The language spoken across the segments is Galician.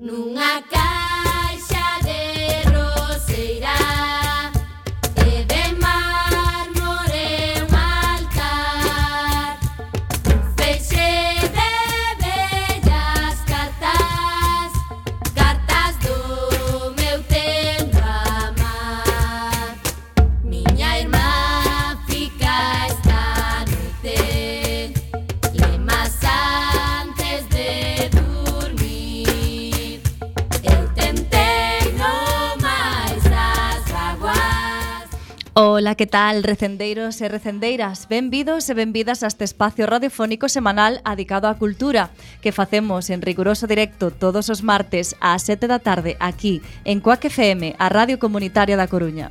Nunha caixa de roseira e de mármore un altar, un feixe de bellas cartas, cartas do meu tendo amar. Miña irmá fica esta noite lemas antes de dormir. Eu tentei no máis das vaguas. Ola, que tal, recendeiros e recendeiras? Benvidos e benvidas a este espacio radiofónico semanal adicado á cultura que facemos en riguroso directo todos os martes ás 7 da tarde aquí en Cuac FM, a Radio Comunitaria da Coruña.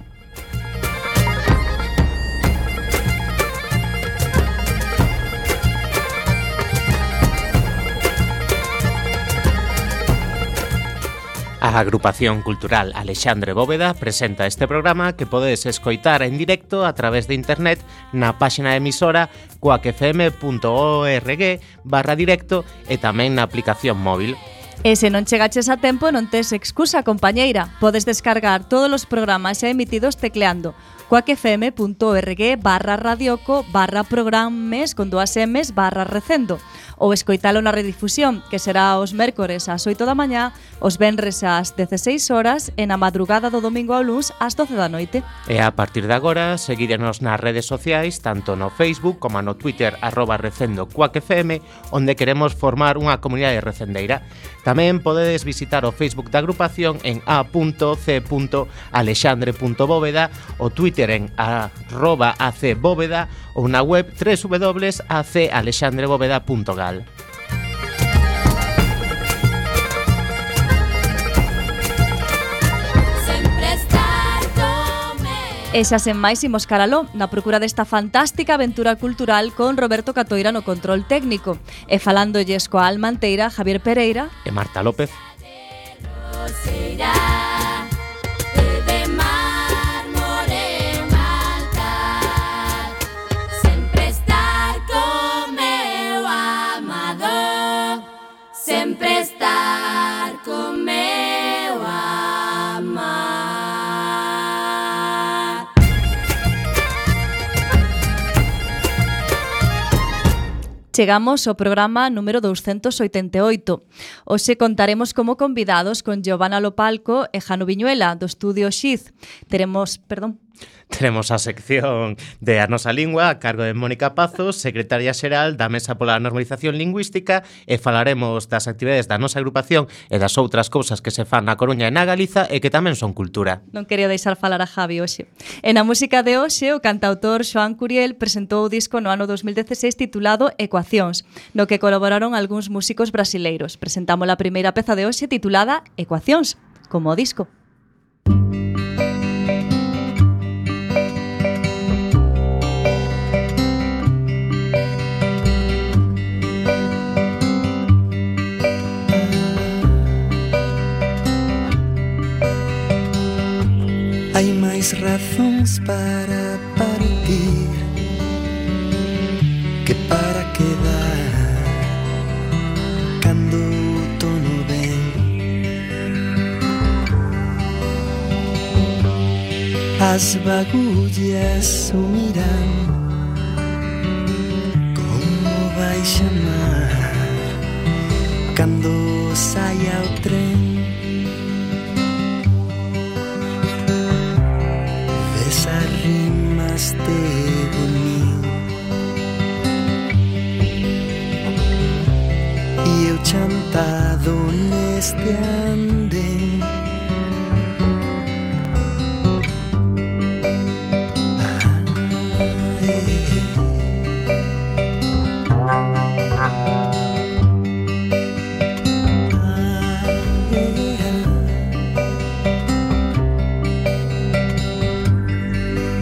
A Agrupación Cultural Alexandre Bóveda presenta este programa que podedes escoitar en directo a través de internet na páxina de emisora cuacfm.org/directo e tamén na aplicación móvil. E se non chegaches a tempo non tes excusa, compañeira. Podes descargar todos os programas xa emitidos tecleando cuacfm.org/radioco/programes con 2 M's /recendo ou escoitalo na redifusión, que será os mércores ás 8 da mañá, os venres ás 16 horas e na madrugada do domingo ao luns ás 12 da noite. E a partir de agora, seguírenos nas redes sociais, tanto no Facebook como no Twitter @recendocuacfm, onde queremos formar unha comunidade recendeira. Tamén podedes visitar o Facebook da agrupación en a.c.alexandre.bóveda, o Twitter en @acbóveda ou na web www.acalexandrebóveda.gal. E xa sen máis imos caraló na procura desta fantástica aventura cultural con Roberto Catoira no control técnico e falándolles coa alma anteira Javier Pereira E Marta López. Sempre estar con meu amar. Chegamos ao programa número 288. Hoxe contaremos como convidados con Giovanna Lopalco e Jano Viñuela, do estudio Xiz. Teremos a sección de A Nosa Lingua a cargo de Mónica Pazos, secretaria xeral da Mesa pola Normalización Lingüística, e falaremos das actividades da nosa agrupación e das outras cousas que se fan na Coruña e na Galiza e que tamén son cultura. Non quería deixar falar a Javi hoxe. E na música de hoxe, o cantautor Xoán Curiel presentou o disco no ano 2016 titulado Ecuacións, no que colaboraron algúns músicos brasileiros. Presentamos a primeira peza de hoxe titulada Ecuacións, como o disco. Hai máis razóns para partir que para quedar cando o tono ven. As bagullas o miran como vai chamar cando saia o tren. Desarrimaste de mí e eu chantado neste andén.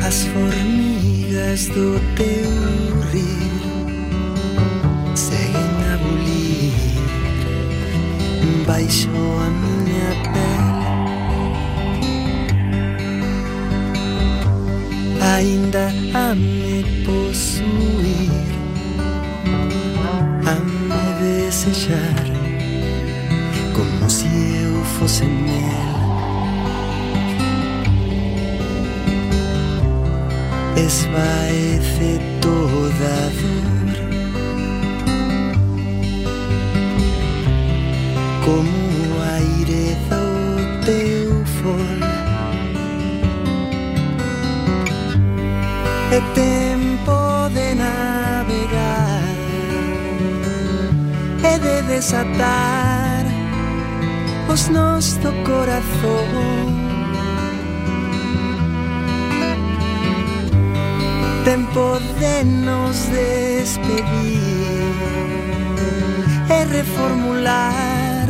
As formigas do teu rir seguen a bulir baixo a miña pele. Ainda a me posuir, a me desejar como si eu fosse mel. Esvaece toda a dor, como o aire do teu fol. É tempo de navegar, é de desatar os nós do corazón. Tempo de nos despedir e reformular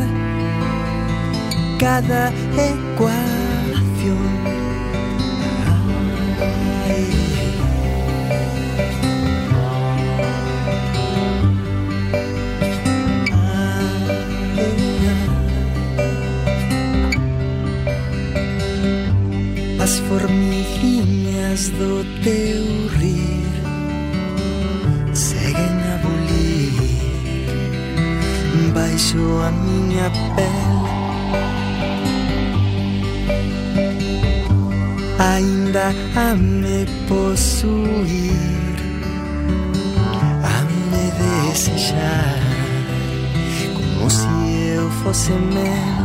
cada ecuación. As formiguinhas do teu rir seguen a bulir baixo a miña pele. Ainda a me posuir, a me desexar, como se eu fosse mel.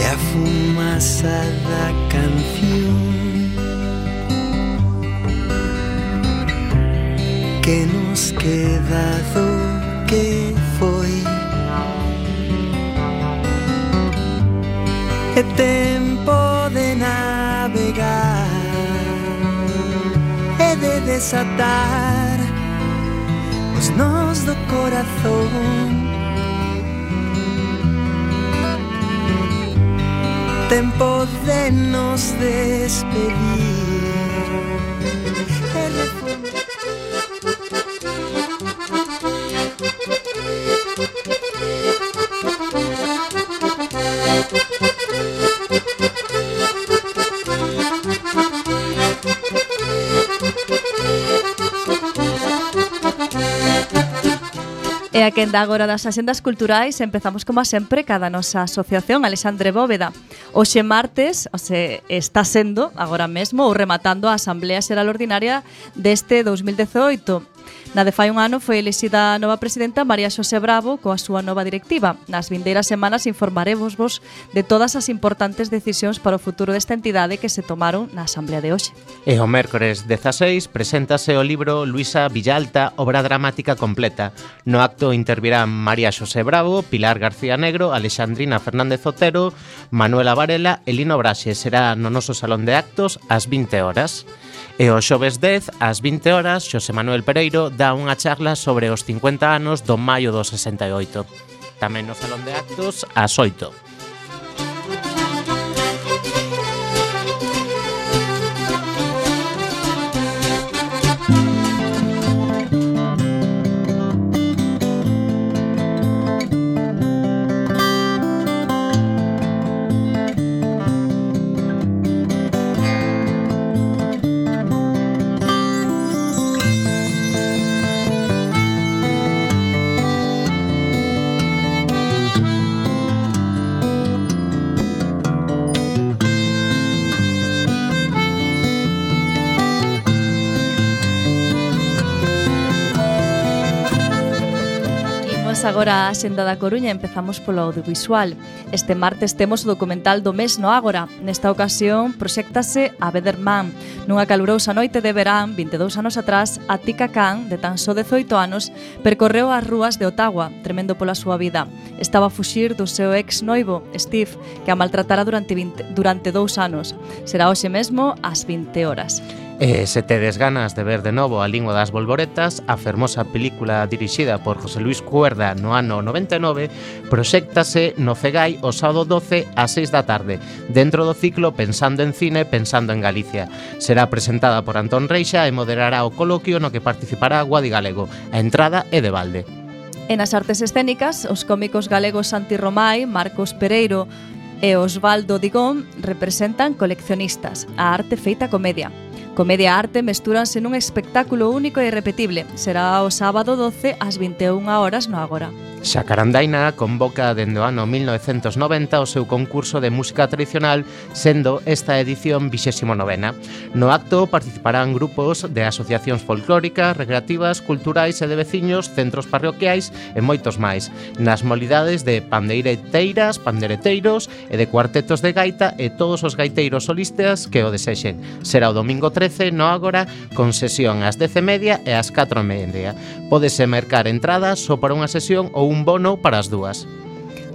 A fumaça da canción que nos queda do que foi. É tempo de navegar, é de desatar os nós do corazón. Tempo de nos despedir. E a quenda agora das axendas culturais empezamos como sempre cada nosa asociación Alexandre Bóveda. Hoxe martes, está sendo agora mesmo ou rematando a Asamblea Xeral Ordinaria deste 2018. Na de fai un ano foi elixida a nova presidenta María Xosé Bravo coa súa nova directiva. Nas vindeiras semanas informarevos de todas as importantes decisións para o futuro desta entidade que se tomaron na Asamblea de hoxe. E o mércores 16 preséntase o libro Luisa Villalta, obra dramática completa. No acto intervirán María Xosé Bravo, Pilar García Negro, Alexandrina Fernández Otero, Manuela Varela e Lino Braxe. Será no noso salón de actos ás 20 horas. E o xoves 10, ás 20 horas, Xosé Manuel Pereiro dá unha charla sobre os 50 anos do maio do 68. Tamén no salón de actos, ás 8. Agora a Xenda da Coruña, empezamos polo audiovisual. Este martes temos o documental do mes no Ágora. Nesta ocasión proxéctase A Bederman. Nunha calurosa noite de verán, 22 anos atrás, a Tika Khan, de tan só 18 anos, percorreu as rúas de Ottawa, tremendo pola súa vida. Estaba a fuxir do seu ex noivo, Steve, que a maltratara durante 2 anos. Será hoxe mesmo ás 20 horas. E se tedes ganas de ver de novo A Lingua das Bolboretas, a fermosa película dirixida por José Luis Cuerda no ano 99, proxéctase no Cegai o sábado 12 ás 6 da tarde, dentro do ciclo Pensando en Cine, Pensando en Galicia. Será presentada por Antón Reixa e moderará o coloquio no que participará Guadi Galego. A entrada é de balde. E nas artes escénicas, os cómicos galegos Santi Romai, Marcos Pereiro e Osvaldo Digón representan Coleccionistas, a arte feita comedia. Comedia e arte mestúranse nun espectáculo único e irrepetible. Será o sábado 12 ás 21 horas no Ágora. Xacarandaina convoca dende o ano 1990 o seu concurso de música tradicional, sendo esta edición 29ª. No acto participarán grupos de asociacións folclóricas, recreativas, culturais e de veciños, centros parroquiais e moitos máis, nas modalidades de pandeireteiras, pandereteiros e de cuartetos de gaita e todos os gaiteiros solistas que o desexen. Será o domingo 13 no Ágora, con sesión ás 10:30 e ás 4:30. Pódese mercar entradas só para unha sesión ou un bono para as dúas.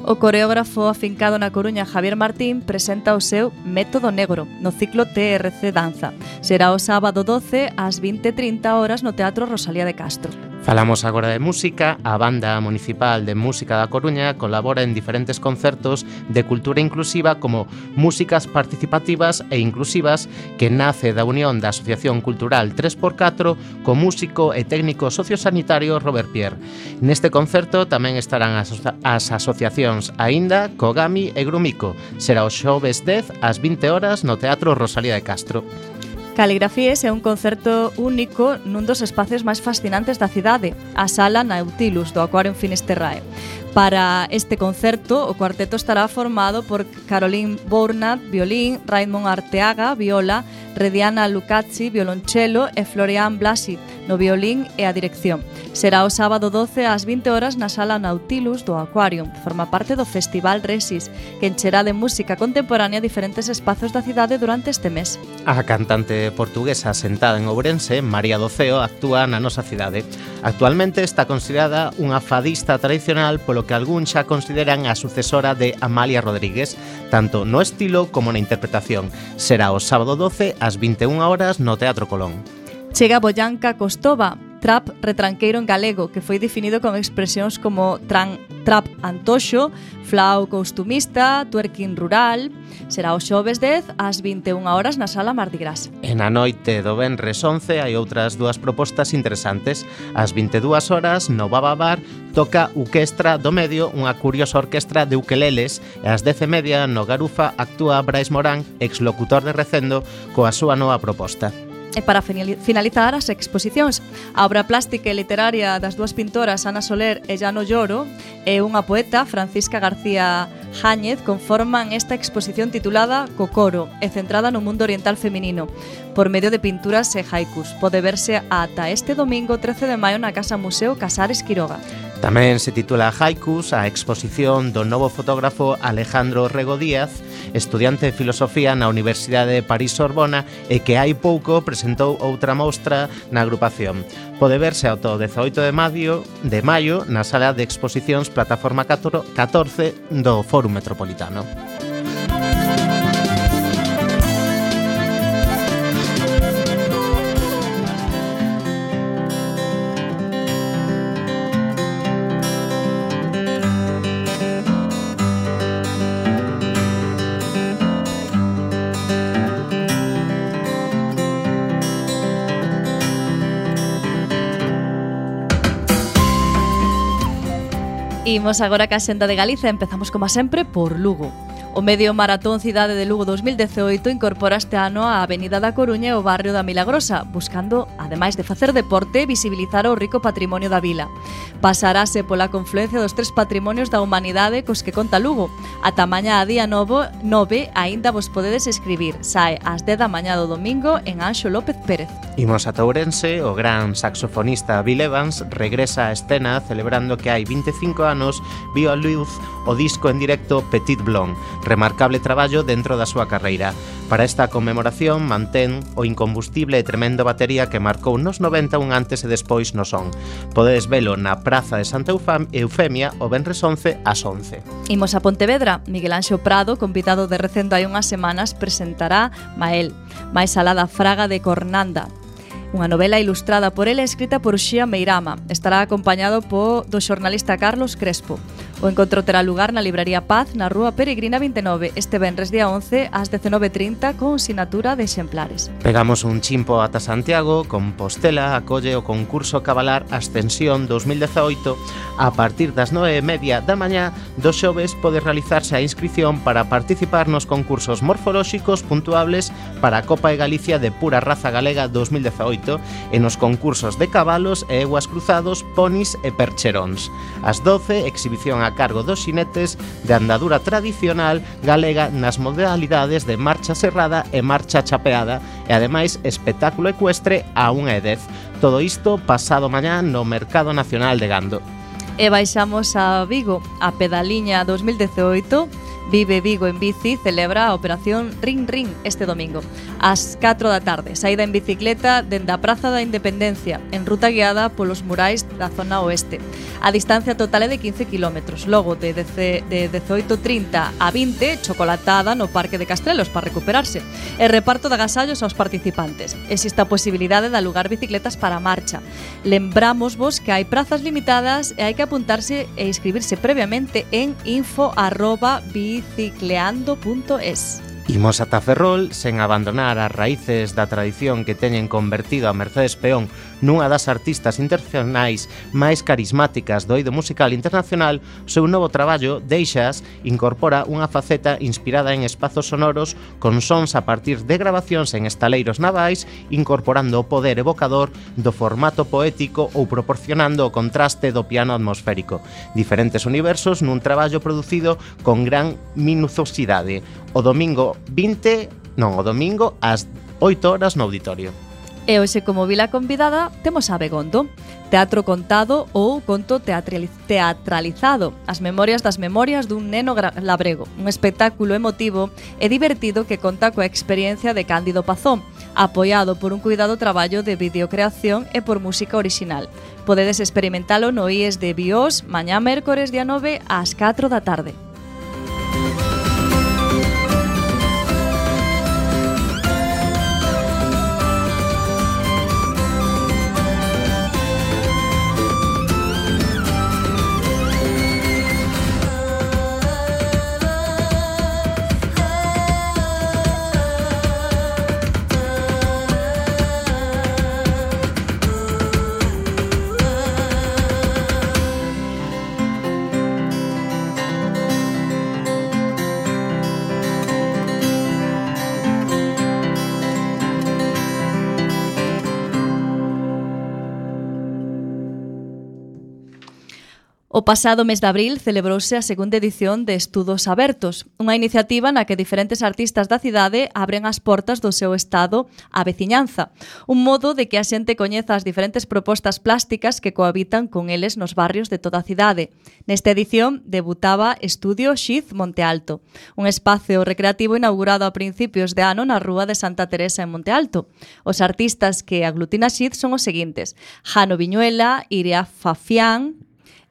O coreógrafo afincado na Coruña Javier Martín presenta o seu Método Negro no ciclo TRC Danza. Será o sábado 12 ás 20:30 horas no Teatro Rosalía de Castro. Falamos agora de música. A Banda Municipal de Música da Coruña colabora en diferentes concertos de cultura inclusiva como Músicas Participativas e Inclusivas, que nace da unión da Asociación Cultural 3x4 co músico e técnico sociosanitario Robert Pierre. Neste concerto tamén estarán as asociacións Aínda, Kogami e Grumico. Será o xoves 10 ás 20 horas no Teatro Rosalía de Castro. Caligrafías é un concerto único nun dos espacios máis fascinantes da cidade, a Sala Nautilus do Aquarium Finisterrae. Para este concerto, o cuarteto estará formado por Caroline Bournat, violín, Raymond Arteaga, viola, Rediana Lucazzi, violonchelo e Florian Blasi, no violín e a dirección. Será o sábado 12 ás 20 horas na Sala Nautilus do Aquarium. Forma parte do Festival Resis, que encherá de música contemporánea diferentes espazos da cidade durante este mes. A cantante portuguesa asentada en Ourense, María do Ceo, actúa na nosa cidade. Actualmente está considerada unha fadista tradicional, polo que algún xa consideran a sucesora de Amalia Rodríguez, tanto no estilo como na interpretación. Será o sábado 12 ás 21 horas no Teatro Colón. Chega Boyanca Costova, trap retranqueiro en galego, que foi definido con expresións como trap antoxo, flau costumista, twerking rural. Será o xoves 10 ás 21 horas na Sala Mardi Gras. E na noite do venres 11 hai outras dúas propostas interesantes. Ás 22 horas no Baba Bar toca Uquestra do Medio, unha curiosa orquestra de ukeleles, e ás 10:30 no Garufa actúa Brais Morán, exlocutor de Recendo, coa súa nova proposta. E para finalizar as exposicións, a obra plástica e literaria das dúas pintoras Ana Soler e Llano Lloro e unha poeta, Francisca García Jáñez, conforman esta exposición titulada Cocoro e centrada no mundo oriental feminino, por medio de pinturas e haikus. Pode verse ata este domingo 13 de maio na Casa Museo Casares Quiroga. Tamén se titula Haikus a exposición do novo fotógrafo Alejandro Rego Díaz, estudiante de filosofía na Universidade de París-Sorbona e que hai pouco presentou outra mostra na agrupación. Pode verse ao 18 de maio na sala de exposicións Plataforma 14 do Fórum Metropolitano. Imos agora ca xenda de Galiza. Empezamos, como sempre, por Lugo. O medio maratón Cidade de Lugo 2018 incorpora este ano a Avenida da Coruña e o barrio da Milagrosa, buscando, ademais de facer deporte, visibilizar o rico patrimonio da vila. Pasarase pola confluencia dos tres patrimonios da humanidade cos que conta Lugo. Ata mañá a día 9 aínda vos podedes escribir. Sae ás 10 da mañá do domingo en Anxo López Pérez. Imos a Ourense. O gran saxofonista Bill Evans regresa á escena celebrando que hai 25 anos viu a luz o disco en directo Petit Blond, remarcable traballo dentro da súa carreira. Para esta conmemoración mantén o incombustible e tremendo batería que marcou nos 90 un antes e despois no son. Podedes velo na Praza de Santa Eufemia o venres 11 ás 11. Imos a Pontevedra. Miguel Anxo Prado, convidado de Recendo hai unhas semanas, presentará Mael, máis alada fraga de Cornanda, unha novela ilustrada por ele e escrita por Xia Meirama. Estará acompañado do xornalista Carlos Crespo. O encontro terá lugar na Libraría Paz, na Rúa Peregrina 29, este venres día 11 ás 19:30 con sinatura de exemplares. Pegamos un chimpo ata Santiago, Compostela acolle o concurso Cabalar Ascensión 2018. A partir das 9:30 da mañá do xoves pode realizarse a inscrición para participar nos concursos morfolóxicos puntuables para a Copa de Galicia de Pura Raza Galega 2018 e nos concursos de cabalos e eguas cruzados, ponis e percheróns. Ás 12, exhibición a cargo dos xinetes de andadura tradicional galega nas modalidades de marcha serrada e marcha chapeada e ademais espectáculo ecuestre a 1:10. Todo isto pasado mañá no Mercado Nacional de Gando. E baixamos a Vigo. A Pedaliña 2018 Vive Vigo en bici celebra a operación Ring Ring este domingo ás 4 da tarde. Saída en bicicleta dende a Praza da Independencia en ruta guiada polos murais da zona oeste. A distancia total é de 15 km. Logo de 18:30 a 20, chocolatada no Parque de Castrelos para recuperarse e reparto de agasallos aos participantes. Existe a posibilidade de alugar bicicletas para a marcha. Lembramos-vos que hai prazas limitadas e hai que apuntarse e inscribirse previamente en info@bicicleando.es. Imos ata Ferrol sen abandonar as raíces da tradición que teñen convertido a Mercedes Peón nunha das artistas internacionais máis carismáticas do eido musical internacional. O seu novo traballo, Deixas, incorpora unha faceta inspirada en espazos sonoros con sons a partir de grabacións en estaleiros navais, incorporando o poder evocador do formato poético ou proporcionando o contraste do piano atmosférico. Diferentes universos nun traballo producido con gran minuciosidade. O domingo ás 8 horas no auditorio. E hoxe como vila convidada temos a Begondo, teatro contado ou conto teatralizado, as memorias das memorias dun neno labrego, un espectáculo emotivo e divertido que conta coa experiencia de Cándido Pazón, apoiado por un cuidado traballo de videocreación e por música orixinal. Podedes experimentalo no IES de Bios mañá mércores día 9 ás 4 da tarde. O pasado mes de abril celebrouse a segunda edición de Estudos Abertos, unha iniciativa na que diferentes artistas da cidade abren as portas do seu estado á veciñanza, un modo de que a xente coñeza as diferentes propostas plásticas que cohabitan con eles nos barrios de toda a cidade. Nesta edición debutaba Estudio Xiz Monte Alto, un espacio recreativo inaugurado a principios de ano na Rúa de Santa Teresa en Monte Alto. Os artistas que aglutina Xiz son os seguintes: Jano Viñuela, Iria Fafián,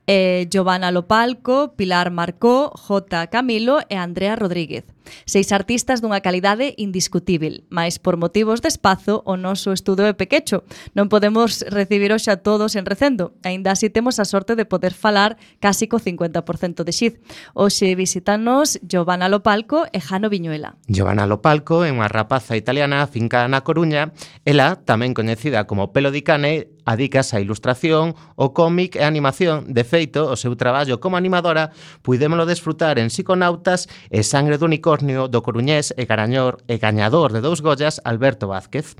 Giovanna Lopalco, Pilar Marcó, J. Camilo e Andrea Rodríguez. 6 artistas dunha calidade indiscutível, mas por motivos de espazo o noso estudo é pequecho. Non podemos recibir hoxe a todos en recendo, aínda así temos a sorte de poder falar casi co 50% de Xiz. Hoxe visítanos Giovanna Lopalco e Jano Viñuela. Giovanna Lopalco é unha rapaza italiana fincada na Coruña. Ela, tamén coñecida como Pelo di Cane, adicas á ilustración, o cómic e a animación. De feito, o seu traballo como animadora puidémolo desfrutar en Psiconautas e Sangre do Unicornio do coruñés e gañador de 2 Goyas Alberto Vázquez.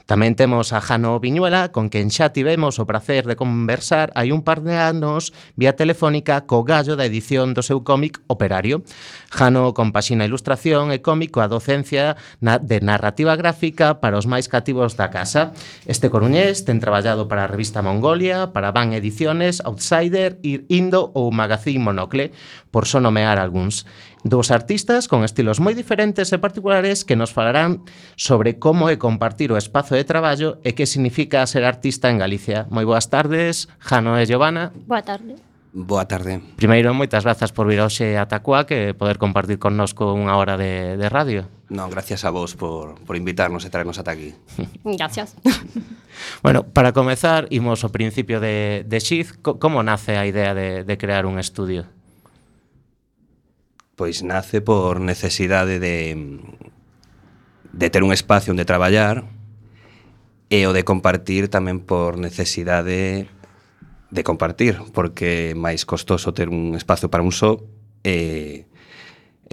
Tamén temos a Jano Viñuela, con quen xa tivemos o prazer de conversar hai un par de anos vía telefónica co gallo da edición do seu cómic Operario. Jano compaxina ilustración e cómic coa docencia de narrativa gráfica para os máis cativos da casa. Este coruñés ten traballado para a revista Mongolia, para Van Ediciones, Outsider, Indo ou Magazine Monocle, por só nomear algúns. 2 artistas con estilos moi diferentes e particulares que nos falarán sobre como é compartir o espazo de traballo e que significa ser artista en Galicia. Moi boas tardes, Jano e Giovanna. Boa tarde. Boa tarde. Primeiro, moitas grazas por vir hoxe a Tacuá, que poder compartir connosco unha hora de radio. Non, gracias a vos por invitarnos e traernos ata aquí. Gracias. Bueno, para comezar, imos ao principio de Xiz. Como nace a idea de crear un estudio? pois nace por necesidade de ter un espacio onde traballar e o de compartir tamén por necesidade de compartir, porque é máis costoso ter un espacio para un só e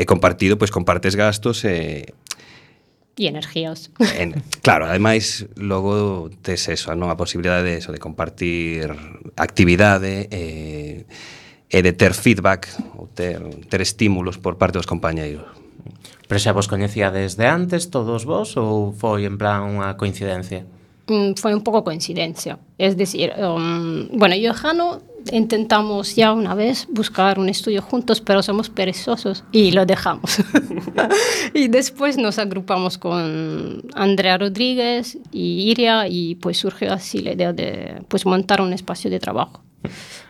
compartido, pois compartes gastos e energías. Claro, ademais logo tes eso, non? A posibilidade de eso, de compartir actividade e de ter feedback ou ter estímulos por parte dos compañeiros. Pero xa vos coñecíades de antes todos vos ou foi en plan unha coincidencia? Fue un poco coincidencia. Es decir, bueno, yo y Jano intentamos ya una vez buscar un estudio juntos, pero somos perezosos y lo dejamos. Y después nos agrupamos con Andrea Rodríguez y Iria y pues surgió así la idea de pues montar un espacio de trabajo.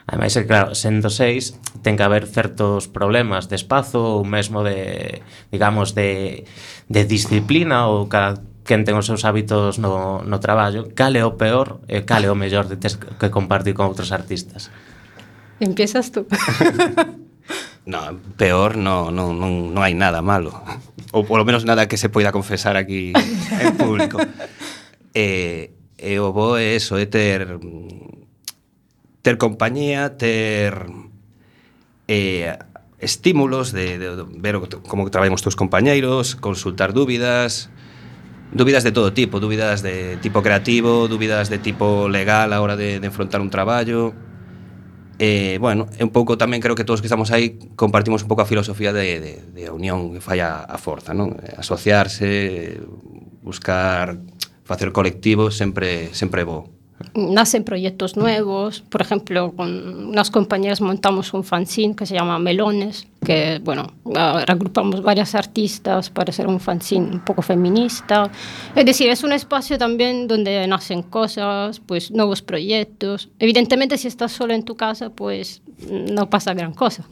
Ademais, claro, sendo 6 ten que haber certos problemas de espazo ou mesmo de, digamos, de disciplina ou cada quen ten os seus hábitos no traballo. Cal é o peor e cal é o mellor de ter que compartir con outros artistas? Empiezas tú. No, peor non hai nada malo. Ou polo menos nada que se poida confesar aquí en público. E o bo é eso, é ter compañía, ter estímulos de ver como traballan os teus compañeiros, consultar dúbidas de todo tipo, dúbidas de tipo creativo, dúbidas de tipo legal a hora de enfrontar un traballo. Bueno, un pouco tamén creo que todos que estamos aí compartimos un pouco a filosofía de unión que fai a forza, non? Asociarse, buscar facer colectivo sempre é bo. Nacen proyectos nuevos. Por ejemplo, con unas compañeras montamos un fanzine que se llama Melones, que, bueno, reagrupamos varias artistas para hacer un fanzine un poco feminista. Es decir, es un espacio también donde nacen cosas, pues nuevos proyectos. Evidentemente, si estás solo en tu casa, pues no pasa gran cosa.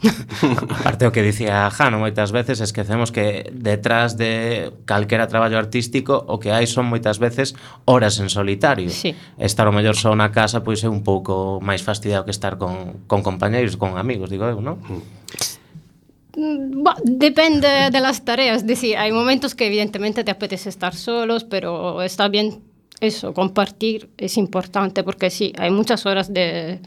Aparte o que dicía Jano moitas veces, esquecemos que detrás de calquera traballo artístico o que hai son moitas veces horas en solitario. Sí. Estar o mellor só na casa pois é un pouco máis fastidiado que estar con compañeiros, con amigos, digo eu, non? Depende de las tareas. Es decir, hay momentos que evidentemente te apetece estar solos, pero está bien eso, compartir es importante, porque sí, hay muchas horas de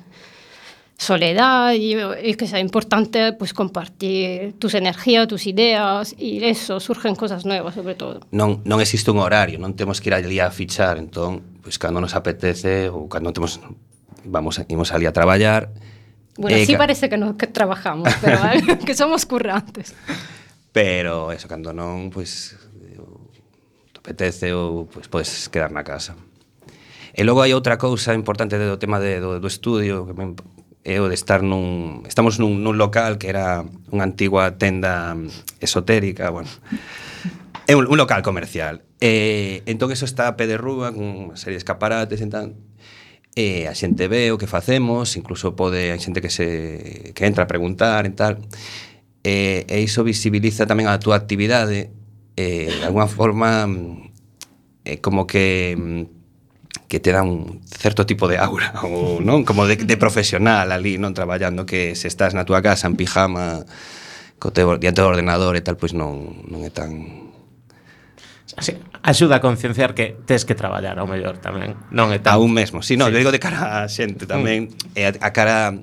soledad y que sea importante pues compartir tus energías, tus ideas, y eso, surgen cosas nuevas sobre todo. Non existe un horario, non temos que ir allí a fichar, entón, pues cando nos apetece ou cando temos imos ali a traballar. Bueno, sí parece que trabajamos, pero que somos currantes. Pero eso, cando non, pues te apetece ou pues podes quedar na casa. E logo hai outra cousa importante do tema do estudio, que é o de estar estamos nun local que era unha antigua tenda esotérica, bueno, é un local comercial. Entón eso está a pé de rúa, con unha serie de escaparates e tal. A xente ve o que facemos, incluso hai xente que entra a preguntar e tal. E iso visibiliza tamén a túa actividade, de alguna forma como que te dá un certo tipo de aura, ou non, como de profesional ali, non traballando, que se estás na túa casa en pijama diante do ordenador e tal, pois non é tan... Así, axuda a concienciar que tes que traballar ao mellor tamén, non é tan... Aún mesmo, sí, non, sí. Digo de cara a xente tamén, a cara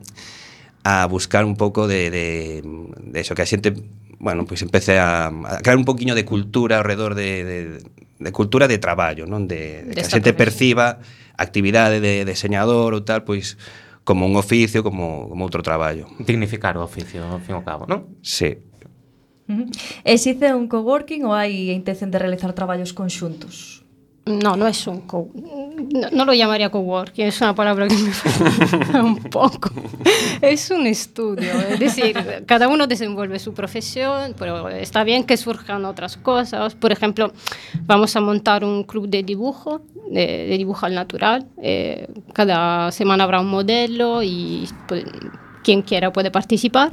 a buscar un pouco de eso, que a xente, bueno, pois empece a crear un poquinho de cultura ao redor de cultura de traballo, non? De que a xente perciba a actividade de deseñador ou tal, pois como un oficio, como outro traballo. Dignificar o oficio, ao fin e ao cabo, non? Sí. Existe un coworking ou hai intención de realizar traballos conxuntos? No, no es no lo llamaría coworking, es una palabra que me falta un poco. Es un estudio, es decir, cada uno desenvuelve su profesión, pero está bien que surjan otras cosas. Por ejemplo, vamos a montar un club de dibujo, de dibujo al natural. Cada semana habrá un modelo y pues, quien quiera puede participar.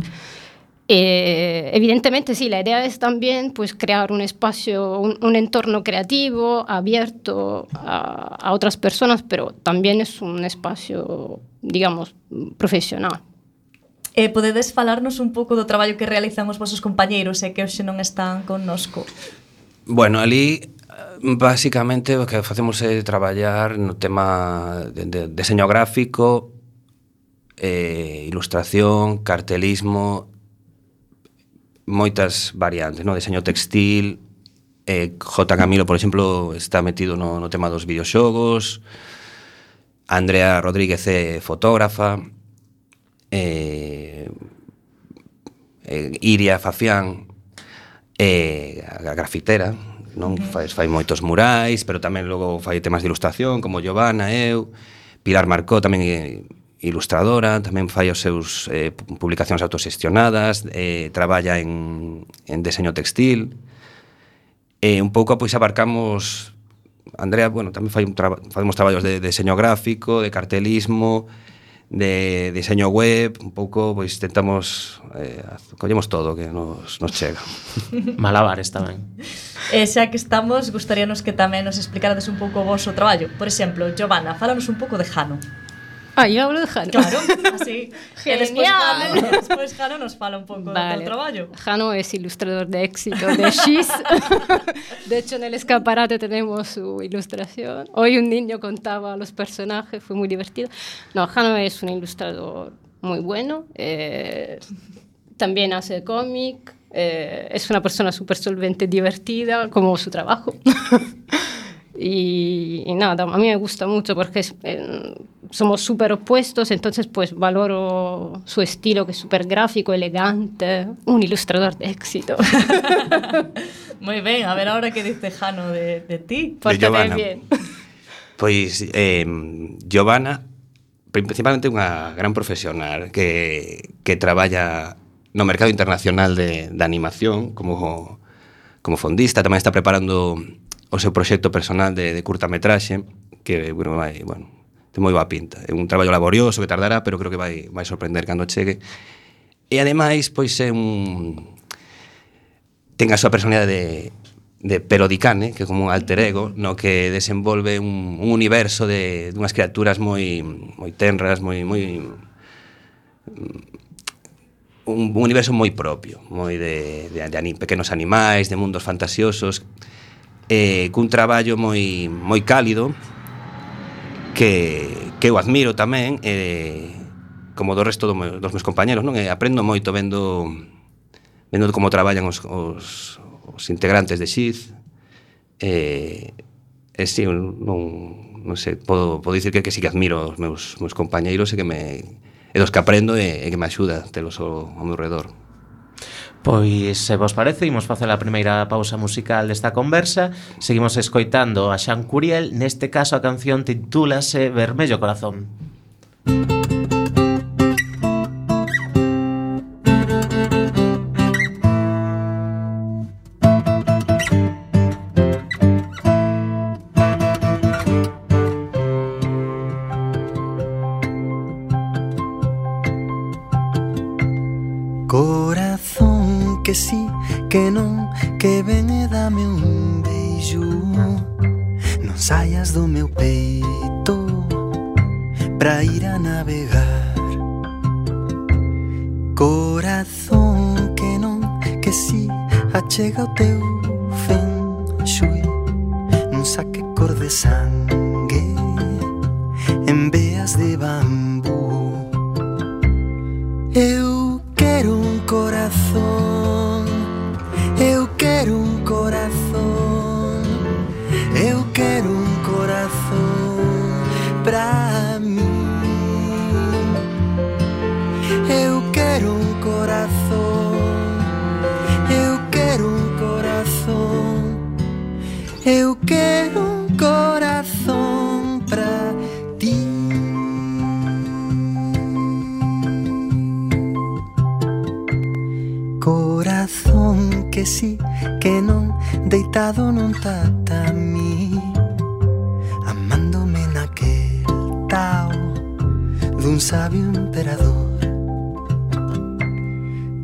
Evidentemente sí, la idea es también pues crear un espacio, un entorno creativo, abierto a otras personas, pero también es un espacio, digamos, profesional. Podedes falarnos un pouco do traballo que realizan os vosos compañeiros e que hoxe non están connosco? Bueno, ali basicamente o que facemos é traballar no tema de deseño gráfico, ilustración, cartelismo, moitas variantes, no? Deseño textil. J. Camilo, por exemplo, está metido no tema dos videoxogos. Andrea Rodríguez é fotógrafa. Iria Fafián a grafitera, non? Fai moitos murais, pero tamén logo fai temas de ilustración, como Giovanna, eu. Pilar Marcó tamén é ilustradora, tamén fai os seus publicacións autoxestionadas, traballa en deseño textil. Un pouco pois abarcamos. Andrea, bueno, tamén facemos traballos de deseño gráfico, de cartelismo, de diseño web, un pouco, pois tentamos collemos todo que nos chega. Malabares tamén. Xa que estamos, gustaríanos que tamén nos explicarades un pouco o voso traballo. Por exemplo, Giovanna, fálanos un pouco de Jano. Yo hablo de Jano. Claro, así. Genial. Despois Jano nos fala un pouco do traballo. Jano es ilustrador de éxito de X. De hecho, en el escaparate tenemos su ilustración. Hoy un niño contaba los personajes, fue muy divertido. No, Jano es un ilustrador muy bueno. También hace cómic. Es una persona súper solvente, divertida, como su trabajo. Y nada, a mí me gusta mucho porque somos súper opuestos, entonces pues valoro su estilo, que es súper gráfico, elegante, un ilustrador de éxito. Muy ben, a ver ahora que dice Jano de ti. Pórtate bien. Pois Giovanna, principalmente unha gran profesional que traballa no mercado internacional de animación como fondista, tamén está preparando o seu proxecto personal de curtametraxe que, bueno, ten moi boa pinta. É un traballo laborioso que tardará, pero creo que vai sorprender cando chegue. E ademais, pois ten a súa personalidade de Perodicane, que é como un alter ego, no que desenvolve un universo de unhas criaturas moi tenras, un universo moi propio, moi de pequenos animais, de mundos fantasiosos, cun traballo moi cálido que eu admiro tamén, como do resto dos meus compañeros, non? Aprendo moito vendo como traballan os integrantes de Xiz. Si, non sei, podo dicir que sí que admiro os meus compañeiros e dos que aprendo e que me axuda telos ao meu redor. Pois, se vos parece, imos facer a primeira pausa musical desta conversa. Seguimos escoitando a Xan Curiel. Neste caso a canción titúlase Vermello Corazón. Corazón que sí, que non, que ven e dame un beijo. Non saias do meu peito pra ir a navegar. Corazón que non, que sí, achega o teu feng shui. Non saque cor de sangue en veas de bambú. Eu quero un corazón, eu quero un corazón, eu quero un corazón pra mí. Eu quero un corazón, eu quero un corazón, eu quero un corazón pra ti. Corazón que sí, que non, deitado nun tatami, amándome naquel tao dun sabio emperador.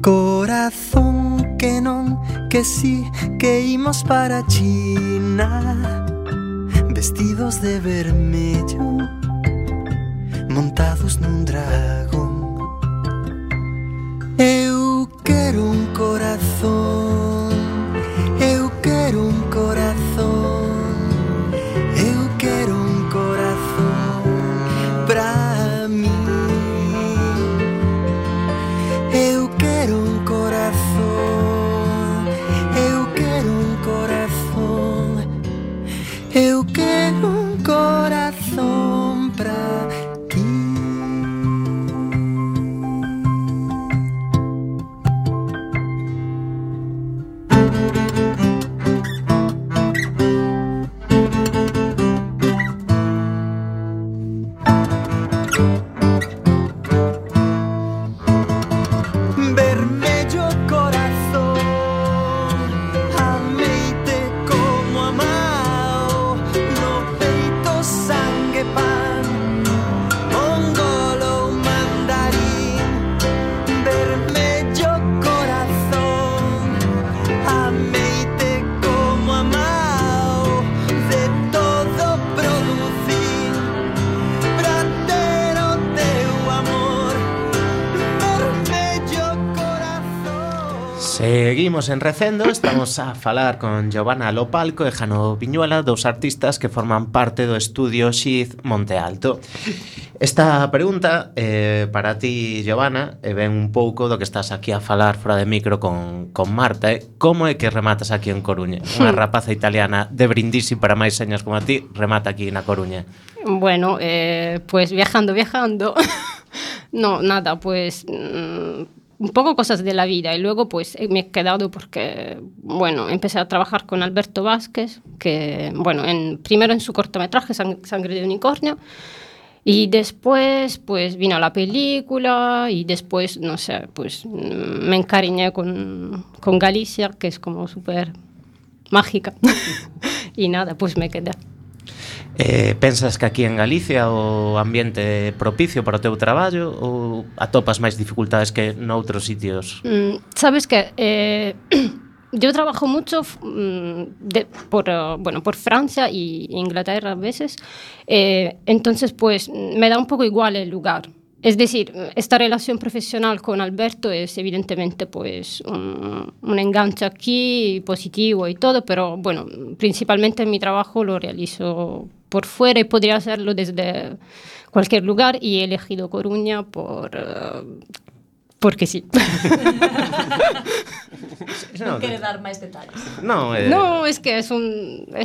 Corazón que non, que sí, que imos para China, vestidos de vermello, montados nun dragón. Eu quero un corazón, eu quero un corazón, eu quero un corazón pra mí. Eu quero un corazón, eu quero un corazón, eu quero un corazón pra ti. Vermello corazón, ameite como amao, no peito sangue pan, mongolo mandarín. Vermello corazón, ameite como amao, de todo producir, pra ter o teu amor. Vermello corazón. Seguimos en Recendo, estamos a falar con Giovanna Lopalco e Jano Viñuela, dous artistas que forman parte do estudio Xiz Monte Alto. Esta pregunta para ti, Giovanna, ven un pouco do que estás aquí a falar fora de micro con Marta. Como é que rematas aquí en Coruña? Unha rapaza italiana de Brindisi para máis señas como a ti, remata aquí na Coruña. Bueno, pues viajando. No, nada, pues un poco cosas de la vida. Y luego pues me he quedado porque, bueno, empecé a trabajar con Alberto Vázquez, que, bueno, primero en su cortometraje Sangre de Unicornio, y después pues vino la película y después, no sé, pues me encariñé con Galicia, que es como súper mágica. Y nada, pues me quedé. Pensas que aquí en Galicia o ambiente é propicio para o teu traballo ou atopas máis dificultades que noutros sitios? Sabes que yo trabajo mucho por Francia y Inglaterra a veces, entonces pues me da un poco igual el lugar. Es decir, esta relación profesional con Alberto es evidentemente pues un enganche aquí positivo y todo, pero bueno, principalmente mi trabajo lo realizo por fuera y podría hacerlo desde cualquier lugar y he elegido Coruña porque sí. Non quere dar máis detalles. No, No, es que es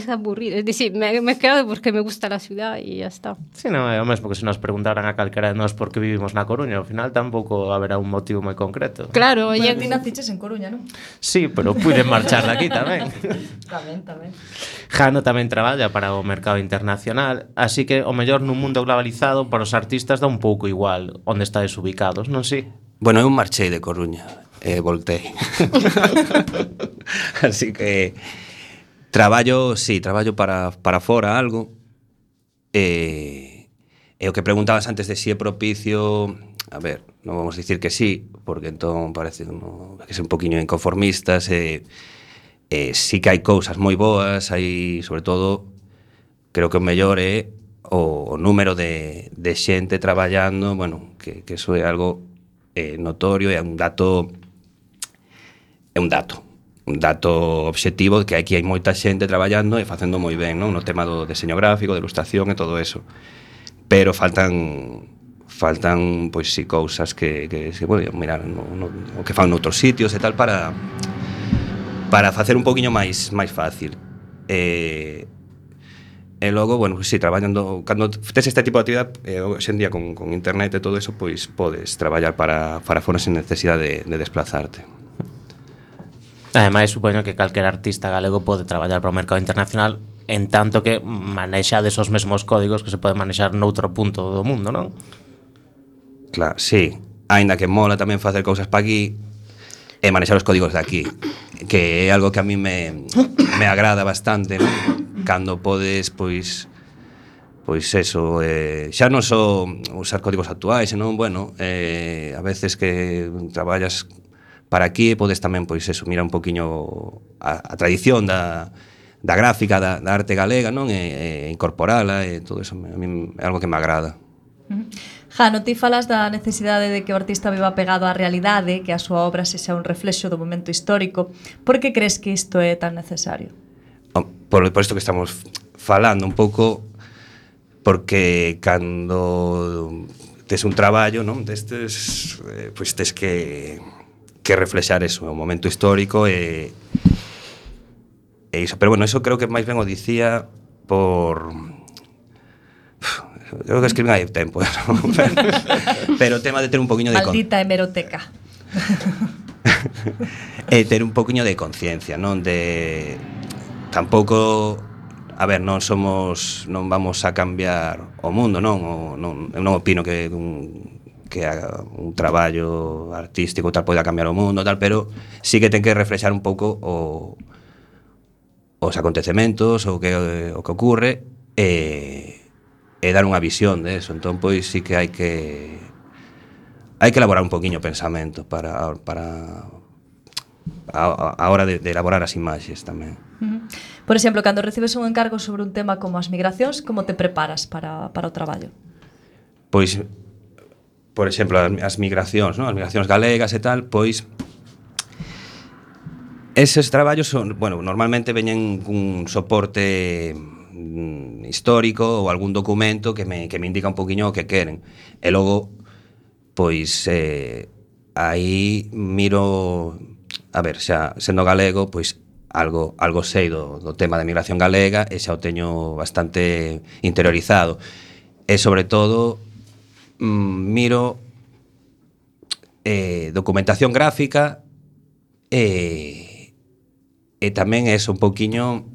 aburrido. Es decir, me he quedado porque me gusta la ciudad y ya está. Sí, non é o mesmo que se nos preguntaran a calquera de nós por que vivimos na Coruña, ao final tampouco haberá un motivo moi concreto. Claro, Bueno, ti naciches en Coruña, non? Sí, pero puiden marchar de aquí tamén. Tamén. Jano tamén traballa para o mercado internacional, así que o mellor nun mundo globalizado para os artistas dá un pouco igual onde estades ubicados, non si? Bueno, eu marchei de Coruña e voltei. Así que traballo para fora algo. E o que preguntabas antes de si é propicio, a ver, non vamos a dicir que sí, porque entón parece que é un poquinho inconformistas. Sí que hai cousas moi boas, hai, sobre todo, creo que o mellor é o número de xente traballando, bueno, que eso é algo notorio, é un dato obxectivo de que aquí hai moita xente traballando e facendo moi ben, non? No tema do deseño gráfico, de ilustración e todo eso, pero faltan pois si cousas que se poden mirar o que fan noutros sitios e tal para facer un poquinho máis fácil. E logo, bueno, si traballando, cando tes este tipo de actividade, hoxe en día con internet e todo eso, pois podes traballar para fora sen necesidade de desplazarte. Ademais, supoño que calquer artista galego pode traballar para o mercado internacional en tanto que manexades os mesmos códigos que se pode manexar noutro punto do mundo, non? Claro, sí. Aínda que mola tamén facer cousas para aquí e manexar os códigos de aquí, que é algo que a mí me agrada bastante, non? Cando podes, pois eso, xa non só usar códigos actuais, senón, bueno, a veces que traballas para aquí podes tamén, pois eso, mira un poquinho a tradición da gráfica, da arte galega, non? E incorporala e todo eso, a mí é algo que me agrada. Jano, ti falas da necesidade de que o artista viva pegado á realidade, que a súa obra sexa un reflexo do momento histórico. Por que crees que isto é tan necesario? Por isto que estamos falando un pouco, porque cando tes un traballo, non, destes, pois tes que reflexar eso, o momento histórico e iso. Pero bueno, eso creo que máis ben o dicía por... Creo que escribín hai tempo, ¿no? Pero o tema de ter un poquinho de... Maldita hemeroteca. Ter un poquinho de conciencia, non? De... Tampouco... A ver, non vamos a cambiar o mundo, non? Eu non opino que un traballo artístico tal poida cambiar o mundo, tal, pero sí que ten que reflexar un pouco os acontecementos, o que ocurre, e dar unha visión de eso. Entón, pois, sí que hai que elaborar un poquinho o pensamento para a hora de elaborar as imaxes tamén. Por exemplo, cando recibes un encargo sobre un tema como as migracións, como te preparas para o traballo? Pois, por exemplo, as migracións, non? As migracións galegas e tal, pois eses traballos son, bueno, normalmente veñen cun soporte histórico ou algún documento que me indica un poquinho o que queren. E logo, pois, aí miro, a ver, xa sendo galego, pois algo sei do tema de migración galega e xa o teño bastante interiorizado. E sobre todo miro documentación gráfica e tamén é un poquinho